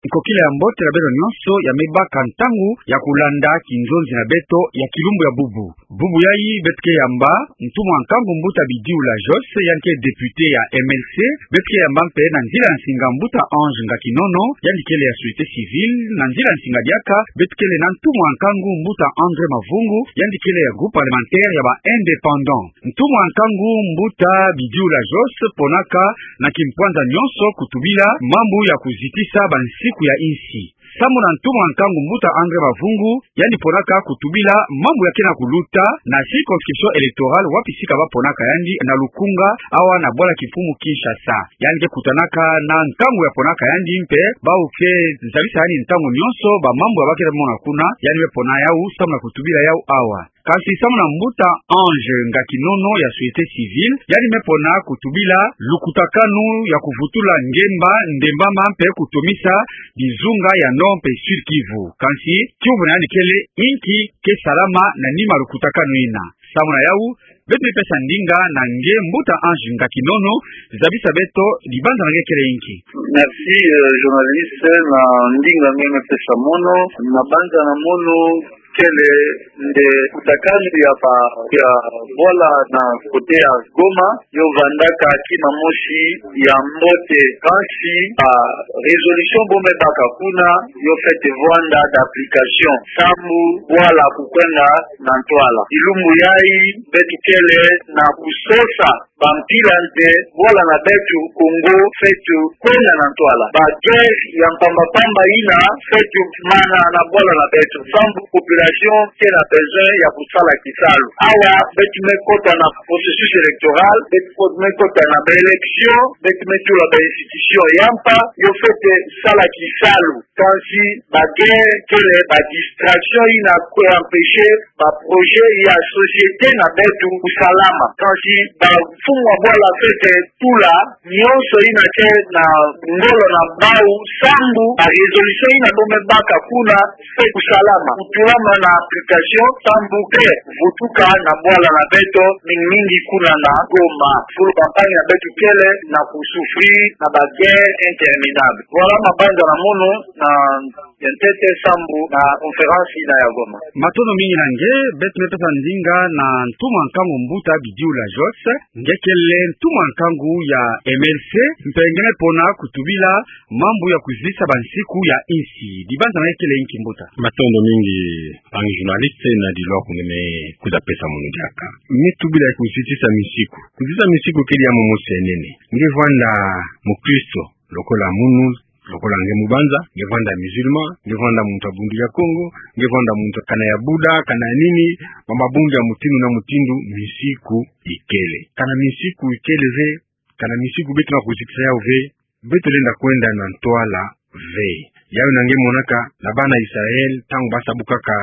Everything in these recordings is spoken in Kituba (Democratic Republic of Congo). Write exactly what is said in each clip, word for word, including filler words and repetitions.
Nkokila ya mbote na beno nyonso, ya me baka ntangu ya kulanda kinzonzi na beto ya kilumbu ya bubu. Bubu yayi beto ke yamba ntumwa nkangu mbuta Bidiula Jos, yandi ke député ya M L C. Beto ke yamba mpe na nzila nsinga mbuta Ange Ngakinono, yandi kele ya société civile. Na nzila nsinga diaka beto kele na ntumwa nkangu mbuta André Mavungu, yandi kele ya groupe parlementaire ya ba indépendants. Ntumwa nkangu mbuta Bidiula Jos ponaka na kimpwanza nyonso kutubila mambu ya kuzitisa bansiku ya insi. Samu na ntumwa nkangu mbuta André Mavungu, yandi ponaka kutubila mambu ya ke na kuluta na circonscription électorale wapi sika ba ponaka yandi na Lukunga, awa na bwala kimfumu Kinshasa. Yandi ke kutanaka na nkangu ya ponaka yandi mpe bawu ke zabisa yandi ntangu nyonso ba mambu ya ba ke mona kuna, yandi me pona yawu samu na kutubila yawu awa. Kansi samu na mbuta Ange Ngakinono ya société civile, yandi me pona kutubila lukutakanu ya kuvutula ngemba, ndembama mpe kutomisa bizunga ya Nord mpe Sud-Kivu. Kansi kiuvu na yandi kele: inki ke salama na nima lukutakanu yina? Samu na yawu, beto me pesa ndinga na nge mbuta Ange Ngakinono, zabisa beto, dibanza na nge kele inki? Merci, euh, journaliste, na ndinga nge me pesa mono. Mabanza na mono kele nde lukutakanu ya ba, ya bwala na côté ya Goma, yo vandaka kima mosi ya mbote, kansi ba résolution bo me baka kuna, yo fwete vwanda d'application, samu bwala kukwenda na ntwala. Kilumbu yayi, beto kele na kusosa bampila nde bwala na beto Congo fwete kwenda na ntwala. Ba guerre ya mpamba-mpamba yina fwete mana na bwala na beto, samu population ke na besoin ya kusala kisalu. Awa beto me kota na processus électoral, beto me kota na ba élection, beto me tula ba institution ya mpa, yo fwete sala kisalu. Kansi ba guerre kele ba distraction yina ke empêcher ba projet ya société na beto kusalama. Kansi bamfumu ya bwala fwete tula nyonso yina ke na ngolo na bawu, samu ba résolution yina bo me baka kuna fwete kusalama, kutulama na application, samu ke vutuka na bwala na beto, mingi mingi kuna na Goma, fulu campagne ya beto kele na kusouffrir na ba guerre interminable. Voilà mabanza na mono na ya ntete samu na conférence yina ya Goma. Matondo mingi na nge. Beto me pesa ndinga na ntumwa nkangu mbuta Bidiula Jos, nge kele ntumwa nkangu ya M L C, mpe nge me pona kutubila mambu ya kuzitisa bansiku ya insi. Dibanza na nge kele inki, mbuta? Matondo mingi, mpangi journaliste, na dilwa ku nge me kwiza pesa mono diaka. Me tubila ya kuzitisa minsiku. Kuzitisa minsiku kele ya momo se nene. Nge vwanda mukristo, lokola munu, lokola nge mubanza, nge vwanda musulman, nge vwanda muntu ya Bundu ya Kongo, nge vwanda muntu kana ya Bouddha, kana ya nini, ba mabundu ya mutindu na mutindu, minsiku ikele. Kana minsiku ikele ve, kana minsiku beto na kuzitisa yawu ve, beto lenda kwenda na ntwala ve. Yawu yina nge monaka na bana Israël, ntangu ba sabukaka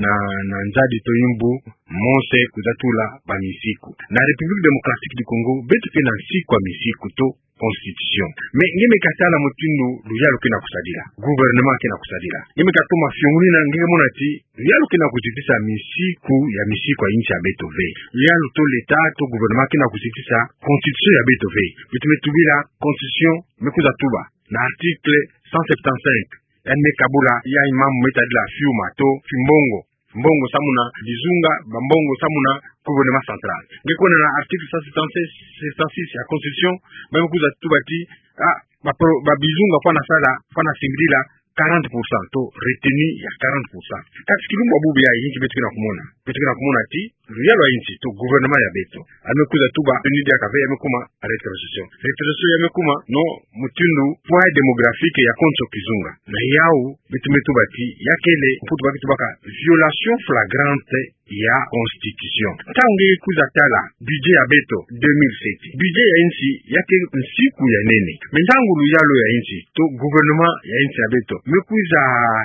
na, na nzadi to mbu, Mose kwiza tula ba minsiku. Na République Démocratique du Congo, beto ke na nsiku ya minsiku to constitution. Mais nge me katala mutindu luyalu ke na kusadila, gouvernement ke na kusadila. Nge me katoma fiongunina, nge mona ti luyalu ke na kuzitisa minsiku ya minsiku ya insi ya beto ve. Luyalu to l'État to gouvernement ke na kuzitisa constitution ya beto ve. Beto me tubila constitution, me kwiza tuba na article cent septante-cinq, yandi me kabula yayi mambu me tadila fiuma to fimbongo. Mbongo samu na bizunga, ba mbongo samu na gouvernement central. Nge kwenda na article cent septante-six, cent septante-six ya constitution, ba me kwiza tuba ti, ah, ba pro-, ba bizunga fwana sala, fwana singidila quarante pour cent to retenue ya quarante pour cent. Kasi kilumbu ya bubu yayi, inki beto ke na kumona? Beto ke na kumona ti luyalu ya insi to gouvernement ya beto, yandi me kwiza tuba retenue diaka ve, yandi me kuma rétrocession. Rétrocession yandi me kuma no mutindu poids démographique ya konso kizunga. Na yawu beto me tuba ti ya kele, Mputu ba ke tubaka violation flagrante ya constitution. Ntangu nge kwiza tala budget ya beto deux mille sept, budget ya insi ya ke nsiku ya nene. Mais ntangu luyalu ya insi to gouvernement ya insi ya beto me kwiza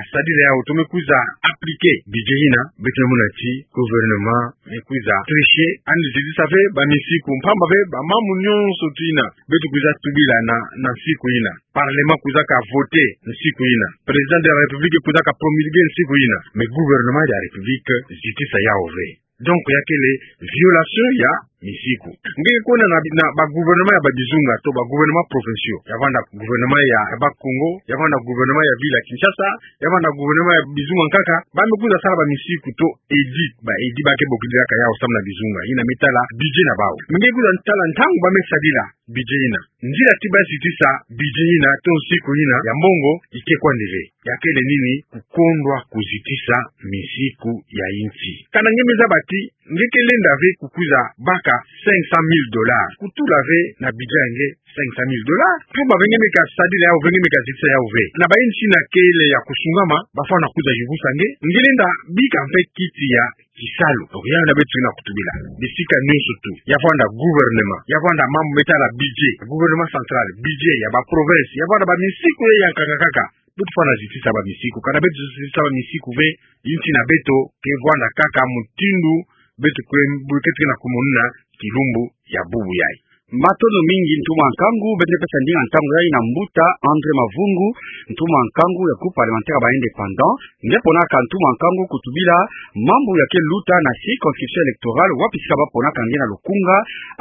sadila yawu to me kwiza appliquer budget yina, beto me mona ti gouvernement me kwiza tricher, yandi zitisa ve ba minsiku, mpamba ve ba mambu nyonso ti yina beto kwiza tubila na, na nsiku yina. Parlement kwizaka voter nsiku yina. Président de la République kwizaka promulguer nsiku yina. Mais gouvernement ya République zitisa yawu ve. Donc ya kele violation ya misiku. Nge ke kwenda na, na ba gouvernement ya ba bizunga to ba gouvernement provinciaux, ya vanda gouvernement ya, ya Bas-Congo, ya vanda gouvernement ya ville ya Kinshasa, ya vanda gouvernement ya bizunga nkaka, ba me kwiza sala ba misiku to edit, ba edit ba ke bokidilaka yau samu na bizunga, yina me tala budget na bau. Nge ke kwiza tala ntangu ba me sadila budget yina, nzila ti ba zitisa budget yina to nsiku yina ya mbongo, ike kwandi ve. Ya kele nini? Kukondwa kuzitisa misiku ya insi. Kana nge me zaba ti nge ke lenda ve kukwiza baka cinq cent mille dollars, kutula ve na budget ya nge cinq cent mille dollars. Mpumba ve nge me kasadila yau ve, nge me kazitisa yau ve. Na ba insi yina kele ya kusungama, ba fwana kwiza yuvusa nge, nge lenda bika mpe kiti ya kisalu. Donc, yau yina beto ke na kutubila bisika nyonso tu. Ya vanda gouvernement, ya vanda mambu me tala budget, gouvernement central, budget ya ba province, ya vanda ba misiku ye ya nkaka nkaka. Beto fwana zitisa ba misiku. Kana beto zitisa ba misiku ve, insi na beto ke vwanda kaka mutindu beto kwe, beto ke na kumonina kilumbu ya bubu yayi. Matondo mingi ntumwa nkangu. Beto ke pesa ndinga ntangu yayi na mbuta André Mavungu, ntumwa nkangu ya groupe parlementaire ya ba indépendants. Nge ponaka ntumwa nkangu kutubila mambu ya ke luta na circonscription électorale, wapi sika ba ponaka nge na Lukunga,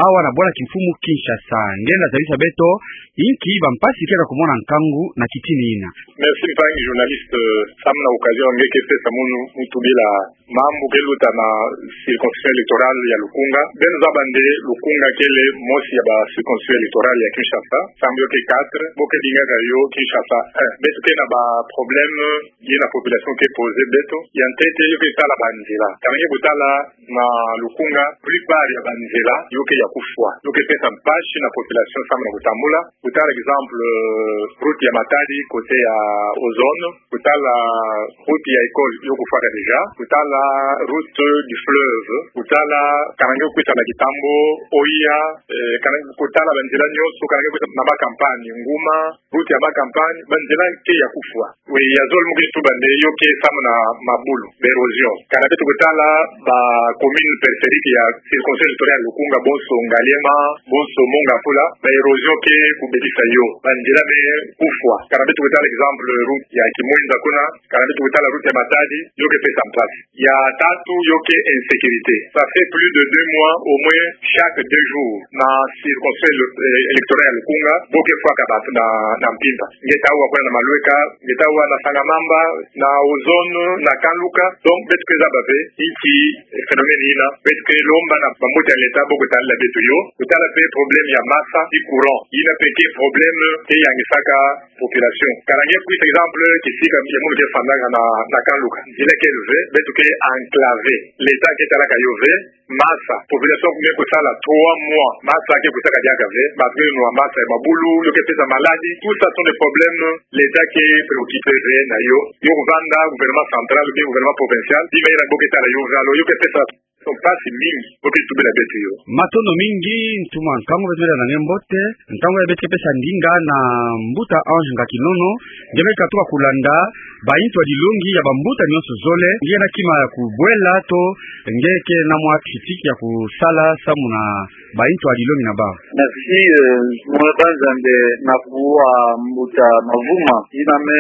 awa na bwala kimfumu Kinshasa. Nge lenda zabisa beto inki ba mpasi ke na kumona nkangu na kitini yina. Merci mpangi journaliste, samu na occasion nge ke pesa munu mu tubila mambu ke luta na circonscription électorale ya Lukunga. Beno zaba nde Lukunga kele mosi ya ba circonscription électorale ya Kinshasa, samu yo ke quatre, bo ke bingaka yo Kinshasa un. Beto ke na ba problème ye na population ke poser beto. Ya ntete yo ke tala ba nzila. Kana nge kutala na Lukunga, plupart ya ba nzila yo ke ya kufwa, yo ke pesa mpasi na population samu na kutambula. Kutala exemple, euh, route ya Matadi côté ya Ozone, kutala route ya école yo kufwaka déjà, kutala route du fleuve, kutala kana nge kwisa na Kitambo, Oya, eh, kana nge kutala ba nzila nyonso, kana nge kwisa na Bas-Campagne, Nguma, route ya Bas-Campagne, ba nzila ke ya kufwa. Oui, ya zole mu ke tuba nde yo ke samu na mabulu, ba érosion. Kana beto kutala ba commune périphérique ya circonscription électorale ya Lukunga, bonso Ngaliema, bonso Mont Ngafula, ba érosion ke kubebisa yo. Ba nzila me kufwa. Kana beto kutala exemple route ya Kimwenza kuna, kana beto kutala route ya Matadi, yo ke pesa mpasi. Ya tatu yo ke insécurité. Ça fait plus de deux mois au moins, chaque deux jours, na circonscription éle-, eh, électorale ya Lukunga, bo ke fwaka bantu na, na mpimpa. Nge ta wa kuna na Malweka, nge ta wa na Sangamamba, na Ozone, na Kanluka. Donc, beto ke zaba ve inki, eh, phénomène yina, beto ke lomba na bambuta ya l'État bo kutadila beto yo. Kutala pe problème ya masa ti courant. Yina pe ke problème ke yangisaka population. Kana nge kwisa exemple kisika ya munu ke fandaka na, na Kanluka. Nzila kele ve, beto ke enclavé. L'État ke talaka yo ve masa. Population me kusala trois mois, masa ke kusaka diaka ve. Bantu ke nwa masa ya mabulu, yo ke pesa maladie. Tout ça sont des problèmes l'État ke préoccupé ve na yo. Yo kuvanda gouvernement central ou bien gouvernement provincial, bima yina bo ke tala yo ve, alors yo ke pesa mpasi mingi, bo ke tubila beto yo. Matondo mingi ntumwa nkangu, beto me la na nge mbote. Ntangu yayi beto ke pesa ndinga na mbuta Ange Ngakinono. Nge me katuka kulanda ba intu ya dilongi ya bambuta nyonso zole. Nge na kima ya kubwela to nge ke na mwa critique ya kusala samu na ba intu ya dilongi na bau. Merci, euh, mono banza nde na kuwa mbuta Mavuma. Yina me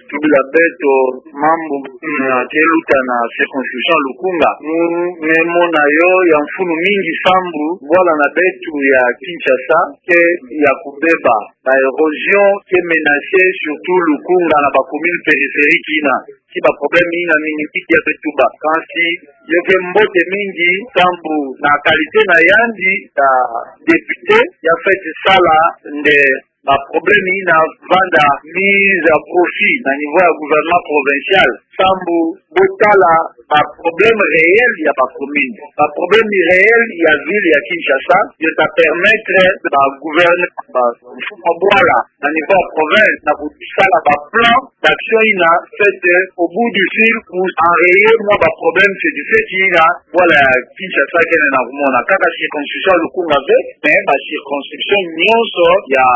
tubila beto mambu ya ke luta na circonscription Lukunga. Mu, me mona yo ya mfunu mingi sambu bwala na beto ya Kinshasa ke ya kubeba. Ba érosion ke menacer surtout Lukunga na ba commune périphérique yina. Ki ba problème yina mingi mingi ya beto ba. Kansi yo ke mbote mingi sambu na qualité na yandi ya député, ya fweti sala nde ba problème yina vanda mise à profit na niveau ya gouvernement provincial. Sambu bo tala ba problème réel ya ba commune, ba problème réel ya ville ya Kinshasa, yo ta permettre ba gouverneur, ba mfumu ya bwala na niveau ya province na kusala ba plan d'action yina fweti au bout du fil pour enrayer mwa ba problème, c'est du fait yina bwala ya Kinshasa kele na kumona. Kaka circonscription Lukunga ve, mais ba circonscription nyonso ya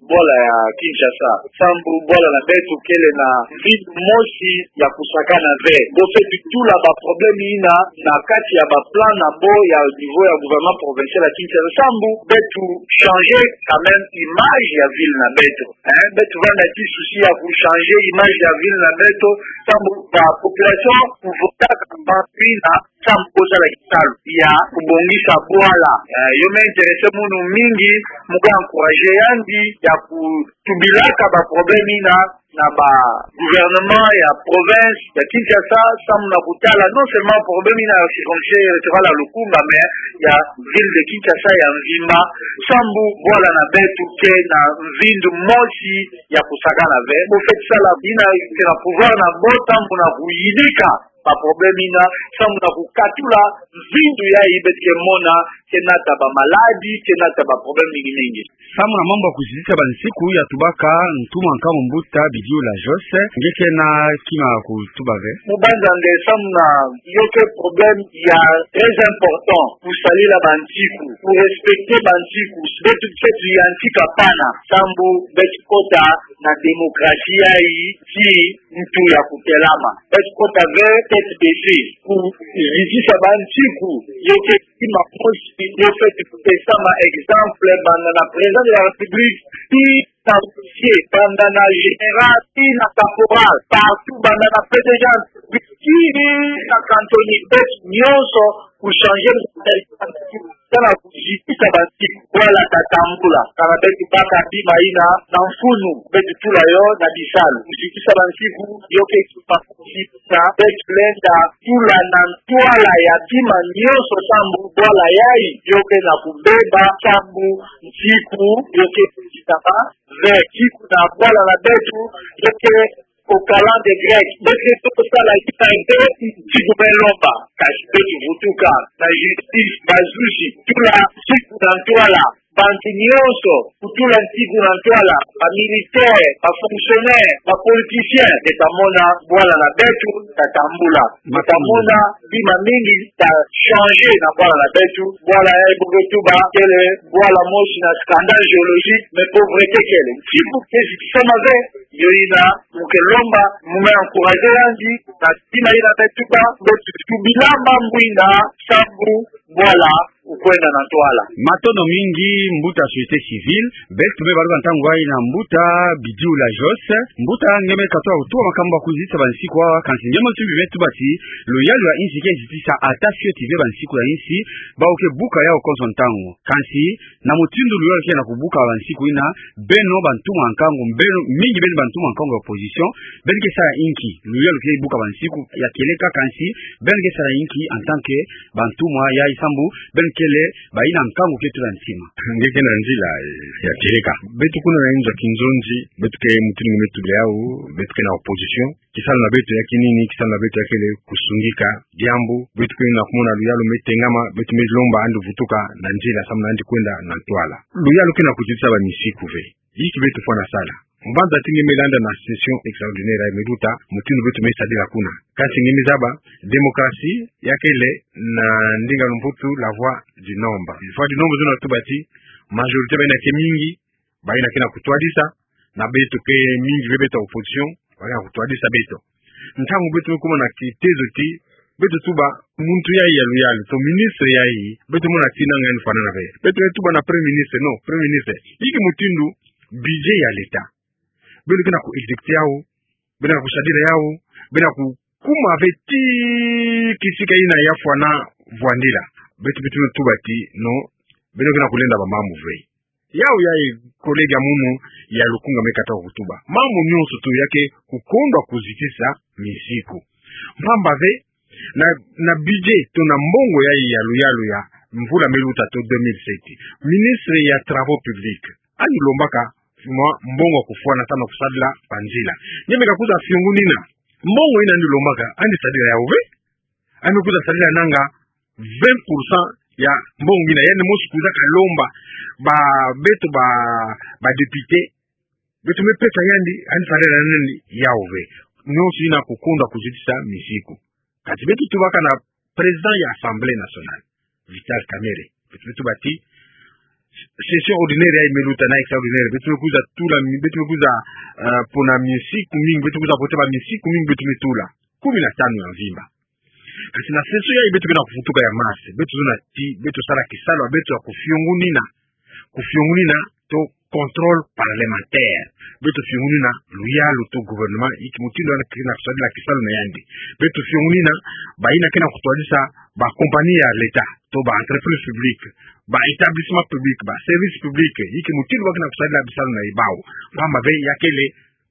bwala ya Kinshasa, sambu bwala na beto kele na mvindu mosi ya kusakana ve. Bo fweti tula ba problème yina na kati ya ba plan na bo ya au niveau ya gouvernement provincial ya Kinshasa, sambu beto changer quand même image ya ville na beto. Hein, beto vanda ti souci ya ku changer image ya ville na beto, sambu ba population kuvotaka bantu yina sambu kozala kisalu ya kubongisa bwala. Eh, yo me intéresser munu mingi, mu ka encourager yandi ya kutubilaka ba problème yina na ba gouvernement ya province ya Kinshasa, sambu na kutala non seulement problème yina ya circonscription électorale ya Lukunga, mais ya ville de Kinshasa ya mvimba, sambu bwala na beto ke na mvindu mosi ya kusakana ve. Bo fweti sala yina ke na pouvoir na bo, sambu na kuyidika ba problème yina, sambu na kukatula mvindu yayi beto ke mona ke nata ba maladie, ke nata ba problème mingi mingi. Sambu na mambu ya kuzitisa ba nsiku ya tubaka ntumwa nkangu mbuta Bidiula Jos, nge ke na kima ya kutuba ve? Mu banza nde sambu na yo ke problème ya très important, kusadila ba nsiku, kurespecter ba nsiku, beto fweti yantika pana, sambu beto kota na démocratie yayi ti ntu ya kutelama. Beto kota ve tête baissée. Kuzitisa ba nsiku, yo ke kima mosi yo fweti pesama exemple, banda na président de la République tii na officier, banda na général tii na caporal, partout, banda na PDG, tii na cantonnier, beto nyonso kuchanger mentalité, kana kuzitisa ba nsiku, bwala tatambula. Kana beto baka bima yina na mfunu, beto tula yo na bisalu. Kuzitisa ba nsiku, yo ke kima mosi na beto lenda tula na ntwala ya bima nyonso, sambu bwala yayi yo ke na kubeba, sambu nsiku yo ke kuzitama ve. Nsiku na bwala na beto yo ke au calendrier grec, beto ke toko sala yina nde nsiku me lomba. Kasi beto vutuka na justice, bazuzi, tula nsiku na ntwala, bantu nyonso kutula nsiku na ntwala, ba militaire, ba fonctionnaire, ba politicien, beta mona bwala na beto tatambula. Beta mona bima mingi ta changer na bwala na beto. Bwala yayi bo ke tuba kele bwala mosi na scandale géologique, mais pauvreté kele. Nsiku ke zitisama ve, yo yina mu ke lomba, mu me encourager yandi na bima yina me tuba, beto tubila mambu yina, sambu bwala ukwenda na ntwala. Matondo mingi, mbuta société civile. Beto me baluka ntangu yayi na mbuta Bidiula Jos. Mbuta, nge me katuka kutuba makambu ya kuzitisa ba nsiku awa, kansi nge me osimbi me tuba ti luyalu ya insi ke zitisa ata fioti ve ba nsiku ya insi, bawu ke buka yawu konso ntangu. Kansi na mutindu luyalu ke na kubuka ba nsiku yina, beno bantumwa nkangu, beno mingi, beno bantumwa nkangu ya opposition, beno ke sala inki? Luyalu ke buka ba nsiku ya kieleka, kansi beno ke sala inki en tant que bantumwa yayi, sambu beno kele bayina nkangu ke tula ntima? Nge ke na nzila, eh, ya kieleka. Beto kuna na inzo ya kinzonzi, beto ke mutindu nge me tubila yawu, beto ke na opposition. Kisalu na beto ya kinini, kisalu na beto ya kele kusungika diambu. Beto ke na kumona luyalu me tengama, beto me lomba yandi vutuka na nzila, sambu na yandi kwenda na ntwala. Luyalu ke na kuzitisa ba nsiku ve. Inki beto fwana sala? Mu banza ti nge me landa na session extraordinaire yayi me luta, mutindu beto me sadila kuna. Kansi nge me zaba, démocratie ya kele na ndinga ya Mputu la voix du nombre. Voix du nombre zona tuba ti majorité, bayina ke mingi, bayina ke na kutwadisa, na beto ke mingi ve, beto opposition, bayina kutwadisa beto. Ntangu beto me kuma na kitezo ti beto tuba muntu yayi ya luyalu, to ministre yayi, beto mona ti nanga yandi fwanana ve. Beto me tuba na premier ministre, non, premier ministre, inki mutindu budget ya l'État beno ke na ku exécuter yawu, beno ke na kusadila yawu, beno ke na kukuma ve ti kisika yina ya fwana vwandila? Beto, beto me tuba ti non, beno ke na kulenda ba mambu ve. Yawu yayi collègue ya munu ya Lukunga me katuka kutuba. Mambu nyonso tu ya ke kukondwa kuzitisa misiku. Mpamba ve, na, na budget to na mbongo yayi ya luyalu ya mvula me luta to deux mille sept, ministre ya travaux publics, yandi lombaka mwa mbongo ya kufwana samu na kusadila banzila. Nge me ka kwiza fiongunina mbongo yina yandi lombaka, yandi sadila yawu ve? Yandi kwiza sadila nanga vingt pour cent ya mbongo yina yandi mosi kwizaka lomba ba, beto ba, ba député, beto me pesa yandi, yandi sadila nani? Yawu ve. Nyonso yina kukondwa kuzitisa misiku. Kati beto tubaka na président ya Assemblée nationale, Vital Kamerhe, beto me tuba ti session ordinaire yayi me luta na extraordinaire, beto me kwiza tula mi-, beto me kwiza, eh, pona misiku mingi, beto kwiza voter ba misiku mingi, beto me tula. Kumi na tanu ya mvimba. Kasi na session yayi beto ke na kuvutuka ya mars, beto zona ti, beto sala kisalu ya beto ya kufiongunina. Kufiongunina to contrôle parlementaire. Beto fiongunina luyalu to gouvernement, inki mutindu yandi ke na kusadila kisalu na yandi. Beto fiongunina bayina ke na kutwadisa ba compagnie ya l'État, to ba entreprise publique, ba établissement public, ba service public, inki mutindu ba ke na kusadila bisalu na bawu. Pamba ve ya kele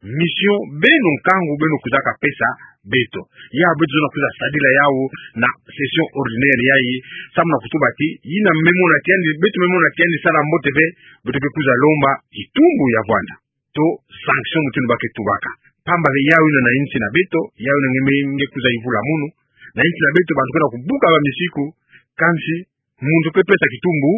mission beno nkangu beno kwizaka pesa beto. Ya beto zona kwiza sadila yawu na session ordinaire yayi, samu na kutuba ti, yina me mona ti yandi, beto me mona ti yandi sala mbote ve, beto ke kwiza lomba kitumbu ya vwanda. To sanction mutindu ba ke tubaka. Pamba ve yawu yina na insi na beto, yawu yina nge me nge kwiza yuvula munu. Na insi na beto bantu ke na kubuka ba misiku, kansi muntu ke pesa kitumbu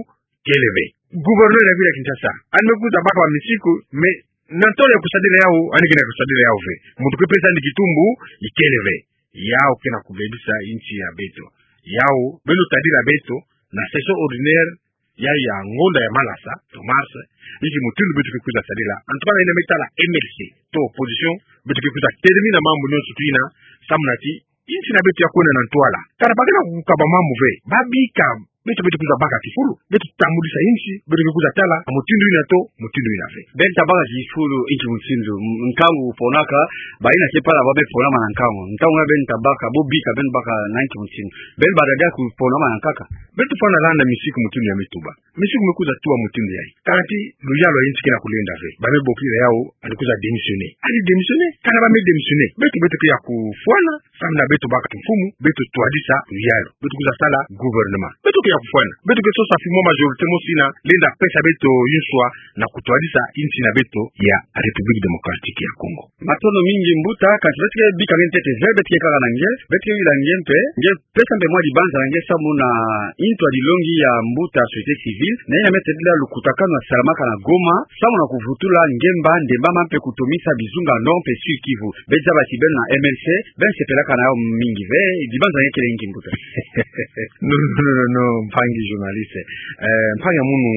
kele ve. Gouverneur ya ville ya Kinshasa, yandi me kwiza baka ba misiku, mais na ntwala ya kusadila yawu, yandi ke na kusadila yawu ve. Muntu ke pesa yandi kitumbu ikele ve. Yawu ke na kubebisa insi ya beto. Yawu, beno tadila beto na session ordinaire ya, ya ngonda ya malasa, to mars, inki mutindu beto ke kwiza sadila. En tout cas, na yina me tala M L C, to opposition, beto ke kwiza terminer mambu nyonso tu yina, samu na ti insi na beto ya kwenda na ntwala. Kana ba ke na kukaba mambu ve, ba bika beto, beto kwiza baka kifulu, beto tambulisa insi, beto ke kwiza tala mutindu yina to mutindu yina ve. Beno tabaka kifulu inki mutindu, m-, nkangu ponaka, bayina ke pala ba me ponama na nkangu. Ntangu yina beno tabaka, bo bika beno baka na inki mutindu. Beno baka dia kuponama na nkaka. Beto fwana landa misiku mutindu ya me tuba. Misiku me kwiza tuba mutindu yayi. Kana ti luyalu ya insi ke na kulenda ve, ba me bokila yawu yandi kwiza démissionner. Yandi démissionner, kana ba me démissionner, beto, beto ke ya kufwana, samu na beto baka kimfumu, beto twadisa luyalu. Beto kwiza sala gouvernement. Beto ke ya kufwana. Beto ke sosa fimwa majorité mosi yina lenda pesa beto inswa na kutwadisa insi na beto ya République Démocratique ya Congo. Matondo mingi mbuta, kansi beto ke bika nge ntete ve, beto ke kaka na nge, beto ke yula nge mpe, nge pesa mpe mwa dibanza na nge samu na ntu ya dilongi ya mbuta société civile, na yina me tadila lukutakanu ya salamaka na Goma, samu na kuvutula ngemba, ndembama mpe kutomisa bizunga nord mpe sud Kivu. Beto zaba ti beno na M L C, beno sepelaka na yawu mingi ve, dibanza na nge kele inki mbuta? Non, non, non, non, non, mpangi journaliste. Eh, mpangi ya munu,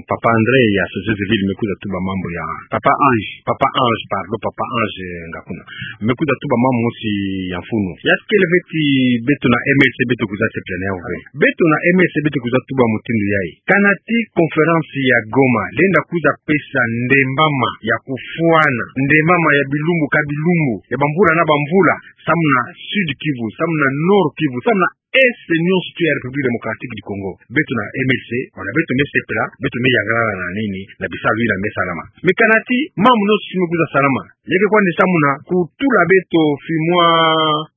Papa André ya société civile me kwiza tuba mambu ya. Papa Ange. Papa Ange, pardon, Papa Ange, eh, Ngakuna. Me kwiza tuba mambu mosi ya mfunu. Ya kele ve ti beto na M L C beto kwiza sepela na yawu ve. Beto na M L C beto kwiza tuba mutindu yayi. Kana ti conférence ya Goma lenda kwiza pesa ndembama ya kufwana, ndembama ya bilumbu ka bilumbu, ya bamvula na bamvula, samu na Sud Kivu, samu na Nord Kivu, samu na Est nyonso tu ya République Démocratique du Congo, beto na M L C, wana beto me sepela, beto me yangalala na nini, na bisalu yina me salama. Mais kana ti mambu nyonso me kwiza salama, ya ke kwandi samu na kutula beto fimwa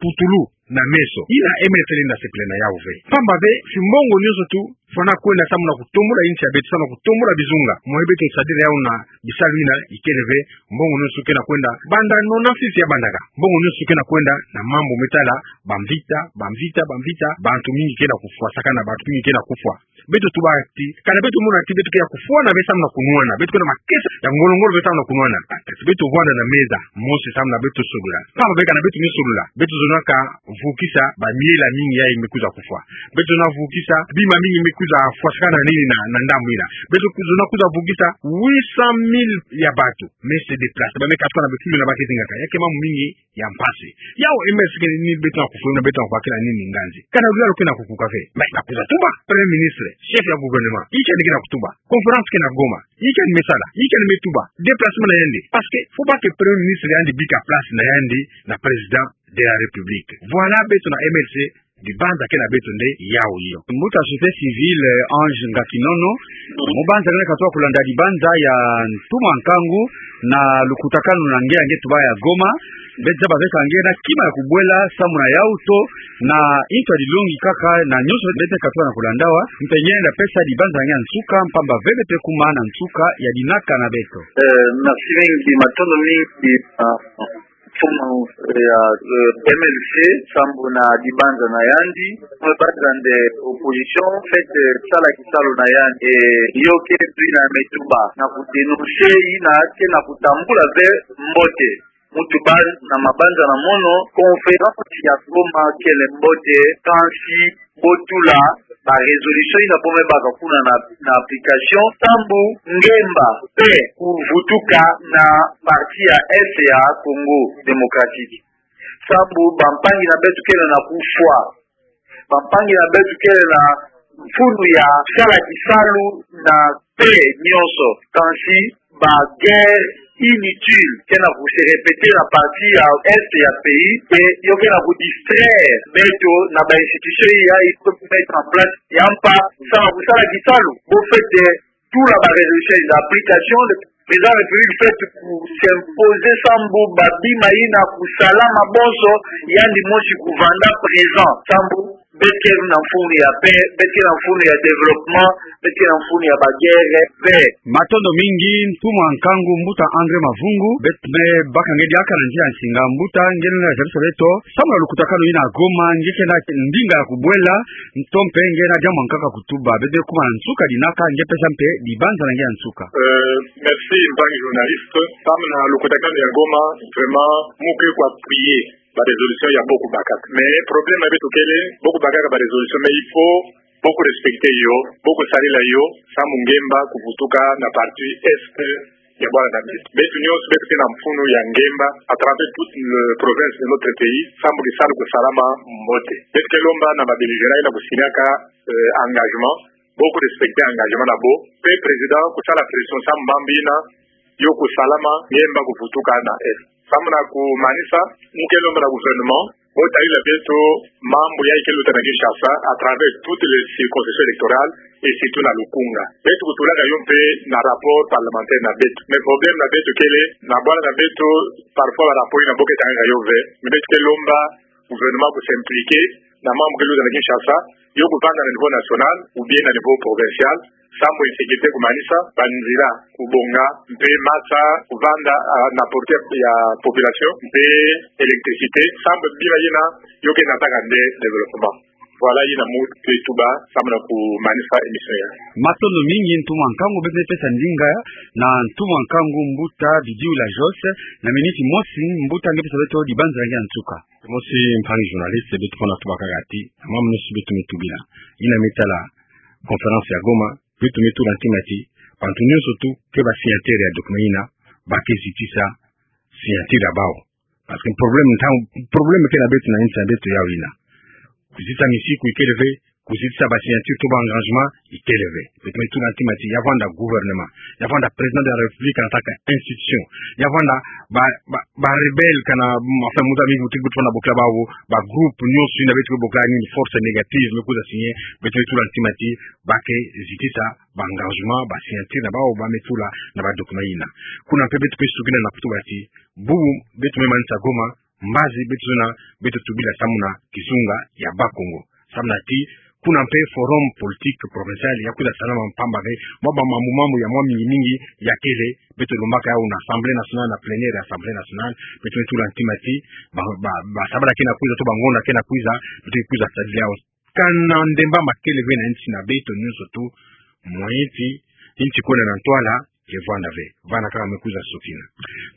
putulu na meso, yina M L C lenda sepela na yawu ve. Pamba ve, fimbongo nyonso tu fwana kwenda samu na kutombula insi ya beto, samu na kutombula bizunga, mwa beto sadila yawu na bisalu yina ikele ve. Mbongo nyonso ke na kwenda, banda nona sisi ya bandaka. Mbongo nyonso ke na kwenda na mambu me tala bamvita, bamvita, bamvita, bantu mingi ke na kufwa, sakana bantu mingi ke na kufwa. Beto tuba ti, kana beto mona ti beto ke ya kufwana ve samu na kunwana, beto ke na makesa ya ngolo-ngolo ve samu na kunwana. Beto vwanda na meza mosi samu na beto solola. Pamba ve kana beto me solola, beto zonaka vukisa bamiela mingi yayi me kwiza kufwa. Beto zona vukisa bima mingi me kwiza fwasakana na nini na, na ndambu yina. Beto zona kwiza vukisa huit cent mille ya bantu me se déplacer, ba me katuka na bifulu na ba ke zingaka. Ya ke mambu mingi ya mpasi. Yawu M L C ke ni beto na kufulu na beto na kubakila nini nganzi. Kana luyalu ke na kukuka ve. Mais na kwiza tuba Premier ministre, chef ya gouvernement, inki yandi ke na kutuba? Conférence ke na Goma, inki yandi me sala, inki yandi me tuba? Déplacement na yandi. Parce que faut pas que Premier ministre yandi bika place na yandi na Président de la République. Voilà, beto na M L C, dibanza ke na beto nde yawu yo. Mbuta société civile, eh, Ange Ngakinono, mu banza nge katuka kulanda dibanza ya ntuma nkangu na lukutakanu na nge ya nge tuba ya Goma, beto zaba ve ka nge na kima ya kubwela samu na yawu to na ntu ya dilongi kaka na nyonso beto katuka na kulanda awa, mpe nge lenda pesa dibanza na nge ya nsuka, pamba ve beto kuma na nsuka ya dinaka na beto. Eh, merci mingi, matondo mingi, ah, ntuma, eh, ya, eh, M L C, sambu na dibanza na yandi, mwe banza nde opposition, en fait, eh, sala kisalu na yandi, eh, yo ke tu yina me tuba, na kudénoncer yina ke na kutambula ve mbote. Mu tuba na mabanza na mono, conférence ya Goma kele mbote, kansi bo tula, ba résolution yina bo me baka kuna na, na application, sambu ngemba mpe kuvutuka na parti ya Est ya Congo Démocratique. Sambu bampangi na beto kele na kufwa. Bampangi na beto kele na mfunu ya sala kisalu na pé nyonso. Kansi ba guerre inutile ke na ku se répéter na partie ya Est ya pays, ke yo ke na ku distraire beto na ba institution ya il faut mettre en place. Ya mpa, sama kusala kisalu, bo fwete tula ba résolution na application, le président de la République fwete ku s'imposer sambu ba bima yina kusalama bonso, yandi mosi kuvanda présent, sambu beto ke na mfunu ya pé, beto ke na mfunu ya développement, beto ke na mfunu ya ba guerre ve. Matondo mingi, ntumwa nkangu mbuta André Mavungu, beto me baka nge diaka na nzila nsinga. Mbuta, nge na zabisa beto sambu na lukutakanu yina Goma, nge ke na ndinga ya kubwela, nto mpe nge na diambu ya nkaka kutuba. Beto me kuma na nsuka dinaka, nge pesa mpe dibanza na nge ya nsuka. Euh, merci, mpangi journaliste. Sambu na lukutakanu ya Goma, vraiment, mu ke ku appuyer ba résolution ya bo kubakaka. Mais problème ya beto kele, bo kubakaka ba résolution, mais il faut bo ku respecter yo, bo kusalila yo, sambu ngemba kuvutuka na partie Est ya bwala na beto. Beto nyonso, beto ke na mfunu ya ngemba à travers toute le province de notre pays, sambu kisalu kusalama mbote. Beto ke lomba na ba belligérants yina kusignaka, euh, engagement, bo ku respecter engagement na bo. Mpe président kusala pression sambu mambu yina yo kusalama, ngemba kuvutuka na Est. Sambu na kumanisa, mu ke lomba na gouvernement, bo talila beto mambu yayi ke luta na Kinshasa à travers toutes les circonscriptions électorales et surtout na Lukunga. Beto kutulaka yo mpe na rapport parlementaire na beto. Mais problème na beto kele, na bwala na beto, parfois ba rapport yina bo ke tangaka yo ve, mais beto ke lomba gouvernement ku s'impliquer na mambu ke luta na Kinshasa, yo kuvanda na niveau national ou bien na niveau provincial, sambu insécurité kumanisa, ba nzila kubonga, mpe masa kuvanda, ah, na portée ya population, mpe électricité, sambu bima yina yo ke nataka nde développement. Voilà yina mu ke tuba sambu na kumanisa émission yayi. Matondo mingi ntumwa nkangu, beto me pesa ndinga na ntumwa nkangu mbuta Bidiula Jos, na minute mosi, mbuta, nge pesa beto dibanza na nge ya nsuka. Mosi, mpangi journaliste, beto pona tuba kaka ti, na mambu nyonso beto me tubila, yina me tala conférence ya Goma, beto me tula ntima ti bantu nyonso tout ke ba signataire ya document yina, ba ke zitisa signature ya bawu. Parce que problème ntangu, problème ke na beto na insi ya beto yawu yina. Kuzitisa misiku ikele ve, kuzitisa ba signature to ba engagement ikele ve. Beto me tula ntima ti ya vanda gouvernement, ya vanda président de la République en tant que institution, ya vanda ba, ba, ba rebelle kana, mm, enfin, muza mingi muti beto fana bokila bawu, ba groupe nyonso yina beto ke bokila ni force négative me kuza signer, beto me tula ntima ti ba ke zitisa ba engagement, ba signature na bawu ba me tula na ba document yina. Kuna mpe beto ke sukina na kutuba ti, bubu beto me manisa Goma, mbazi beto zona, beto tubila samu na kizunga ya Bas-Congo. Samu na ti, kuna mpe forum politique provincial ya kwiza salama mpamba ve, mwa ba mambu mambu ya mwa mingi mingi ya kele, beto lombaka yawu na Assemblée nationale, na plénière ya Assemblée nationale, beto me tula ntima ti, ba, ba, ba sabala ke na kwiza, to ba ngonda ke na kwiza, beto kwiza sadila yawu. Kana ndemba ma kele ve na insi na beto nyonso tout, moyen ti insi kwenda na ntwala, ke vanda ve. Vanda kaka me kwiza sukina.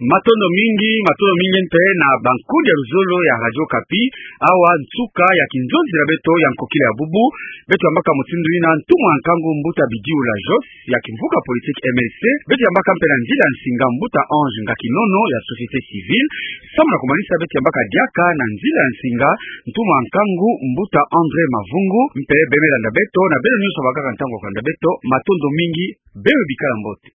Matondo mingi, matondo mingi mpe na bankudi ya luzolo ya Radio Okapi, awa nsuka ya kinzonzi na beto ya nkokila ya bubu, beto yambaka mutindu yina ntumwa nkangu mbuta Bidiula Jos, ya kimvuka politique M L C, beto yambaka mpe na nzila nsinga mbuta Ange Ngakinono ya société civile, samu na kumanisa beto yambaka diaka na nzila nsinga ntumwa nkangu mbuta André Mavungu, mpe beno me landa beto, na beno nyonso bakaka ntangu ya kulanda beto, matondo mingi, beno bikala mbote.